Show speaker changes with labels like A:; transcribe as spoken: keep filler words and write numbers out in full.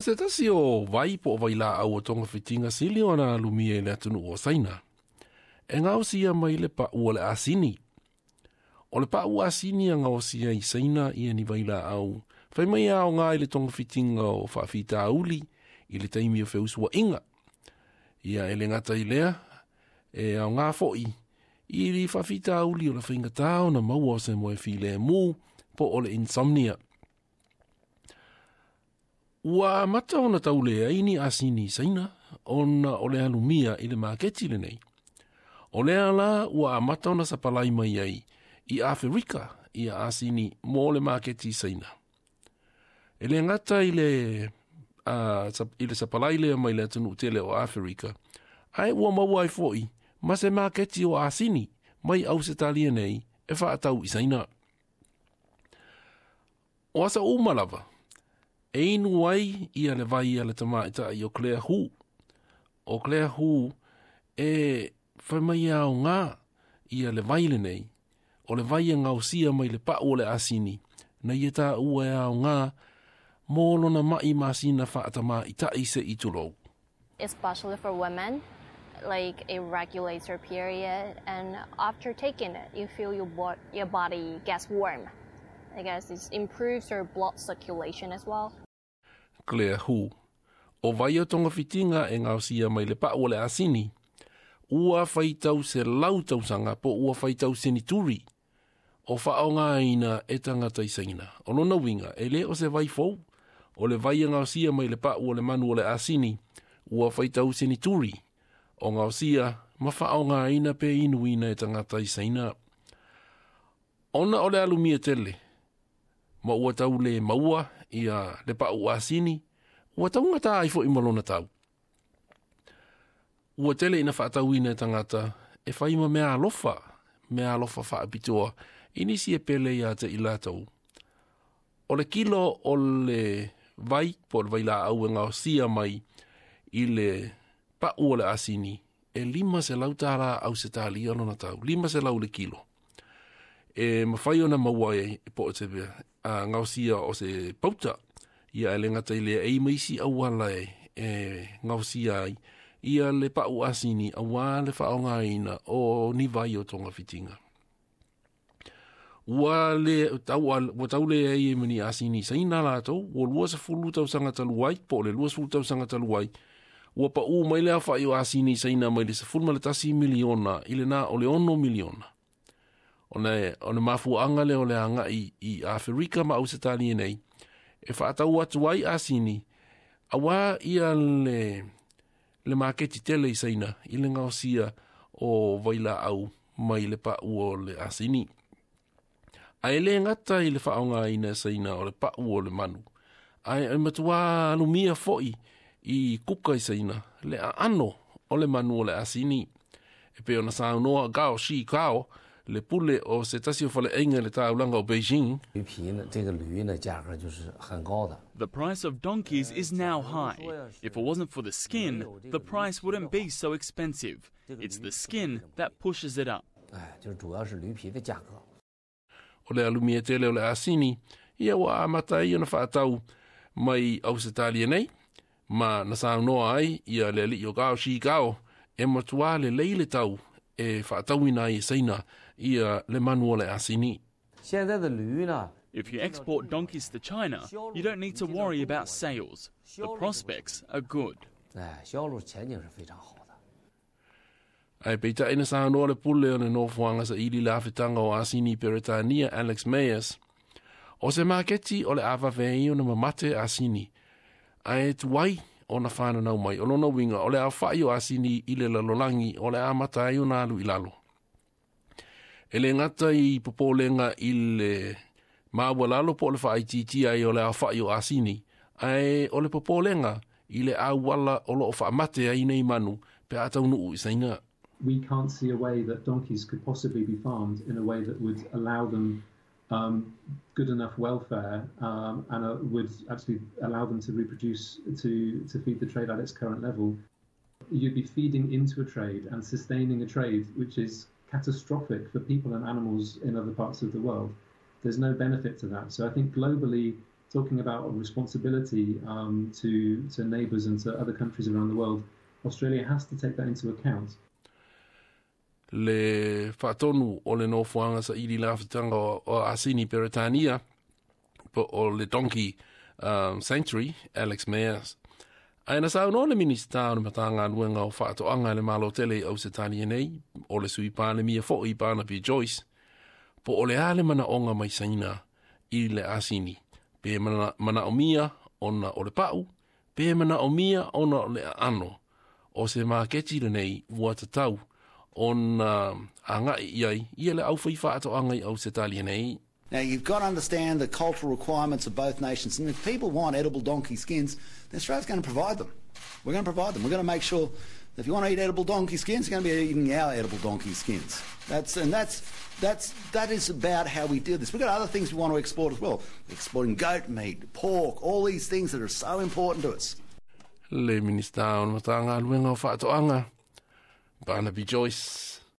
A: Se tasi o vai po o vailaau o togafitiga sili ona alumia i le atunuu o Saina, e gaosia mai le pa'u o le asini. O le pa'u asini e gaosia i Saina ia ni vailaau, fai mai e aoga i le togafitiga o faafitauli i le taimi o feusua'iga. Ia e le gata i lea, e aoga fo'i i le faafitauli o le faigatā ona maua o se moe filemu po o le insomnia. Ua amata ona tauleai ni asini i Saina ona o le alumia i le maketi lenei. O lea la ua amata ona sapalai mai ai i Aferika ia asini mo le maketi i Saina. E le gata i le, uh, i le sapalai lea mai le atunuu tele o Aferika, ae ua maua ai fo'i ma se maketi o asini mai Ausetalia nei e faatau i Saina. O asa uma lava, e inu ai ia le vai a le tamaitai o Claire Hu. O Claire Hu e fai mai e aoga ia le vai lenei, o le vai e gaosia mai le pa'u o le asini, na ia taua e aoga mo lona ma'i masina fa'atamaita'i se'i tulou.
B: Especially for women, like it regulates your period, and after taking it, you feel your, bo- your body gets warm. I guess it improves your blood circulation as well.
A: Claire Hu. O vai o togafitiga e gaosia mai le pa'u o le asini, ua faitau selau tausaga po ua faitau senituri o fa'aaogāina e tagata i Saina. O lona uiga, e lē o se vai fou, o le vai e gaosia mai le pa'u o le manu o le asini, ua faitau senituri o gaosia ma fa'aaogāina pe inuina e tagata i Saina. Ona o le alumia tele, ma ua tau le maua ia le pa'u asini, ua taugatā ai fo'i ma lona tau. Ua tele ina fa'atauina e tagata e fai ma mea alofa, mea alofa fa'apitoa, i nisi e pele iā te i latou. O le kilo o le vai, po o le vailaau e gaosia mai i le pa'u o le asini, e lima selau tālā Ausetalia lona tau, lima selau le kilo. E mafai ona maua ai po o se a, gaosia o se pauta, ia e le gata i lea e i ma isi auala e, e gaosia ai, ia le pa'u asini auā le fa'aaogāina o ni vai o togafitiga. Ua le tau, ua tau leai ai ma ni asini Saina latou, ua lua sefulu tausaga talu ai, po o le lua sefulu tausaga talu ai, ua pa'ū mai le aofa'i o asini Saina mai le sefulu ma le tasi miliona i lenā o le ono miliona. Ona e, o le mafua'aga lea o le aga'i i Aferika ma Ausetalia nei, e fa'atau atu ai asini, auā ia le, le maketi tele i Saina i le gaosia o vailaau mai le pa'u o le asini. Ae lē gata i le fa'aaogāina e Saina o le pa'u o le manu, ae e matuā alumia fo'i i kuka i Saina le aano o le manu o le asini. E pei ona saunoa Gao Shi Kao, le pule o se tasi o fale'aiga i le taulaga o Beijing.
C: 驴皮呢，这个驴呢，价格就是很高的。
D: The price of donkeys is now high. If it wasn't for the skin, the price wouldn't be so expensive. It's the skin that pushes it up.
C: 哎，就是主要是驴皮的价格。
A: O le alumia tele o le asini, ia ua amata ai ona fa'atau mai Ausetalia nei, ma na saunoa ai ia le ali'i o Gao Shi Gao, e matuā lelei le tau e fa'atauina ai e Saina ia le manu o le asini.
C: 现在的驴呢，
D: If you export donkeys to China, you don't need to worry about sales. The prospects are good.
C: 哎，销路前景是非常好的。
A: Ae peita'i na saunoa le pule o le nofoaga saili le afetaga o asini i Peretania Alex Mayers, o se maketi o le a vave ai ona mamate asini, ae tuai ona fananau mai. O lona uiga o le aofa'i o asini i le lalolagi o le amata ai ona alu i lalo. E le gata i popolega i le maualalo po o le fa'aitiitia ai o le aofa'i o asini, ae o le popolega i le auala o lo'o fa'amate ai nei manu pe a taunu'u i Saina.
E: We can't see a way that donkeys could possibly be farmed in a way that would allow them um, good enough welfare um, and uh, would actually allow them to reproduce to, to feed the trade at its current level. You'd be feeding into a trade and sustaining a trade which is catastrophic for people and animals in other parts of the world. There's no benefit to that. So I think globally, talking about a responsibility um, to, to neighbours and to other countries around the world, Australia has to take that into account.
A: Le faatonu o le nofoaga saili lafutaga o asini Peretania po o le Donkey um, Sanctuary, Alex Mayers. Ae na saunoa le Minisita o le Matagaluega o Faatoaga i le Malo tele i Ausetalia nei, o le Sui Palemia foʻi Barnaby Joyce, po o le a le manaʻoga mai Saina i le asini, pe manaʻomia ona o le paʻu, pe manaʻomia ona o le aano o se maketi lenei ua tatau ona agaʻi i ai ia le aufai faatoaga i Ausetalia nei.
F: Now, you've got to understand the cultural requirements of both nations. And if people want edible donkey skins, then Australia's going to provide them. We're going to provide them. We're going to make sure that if you want to eat edible donkey skins, you're going to be eating our edible donkey skins. That's, and that's, that's, that is about how we do this. We've got other things we want to export as well. Exporting goat meat, pork, all these things that are so important to us.
A: Le Minista o le Matagaluega o Faatoaga, Barnaby Joyce.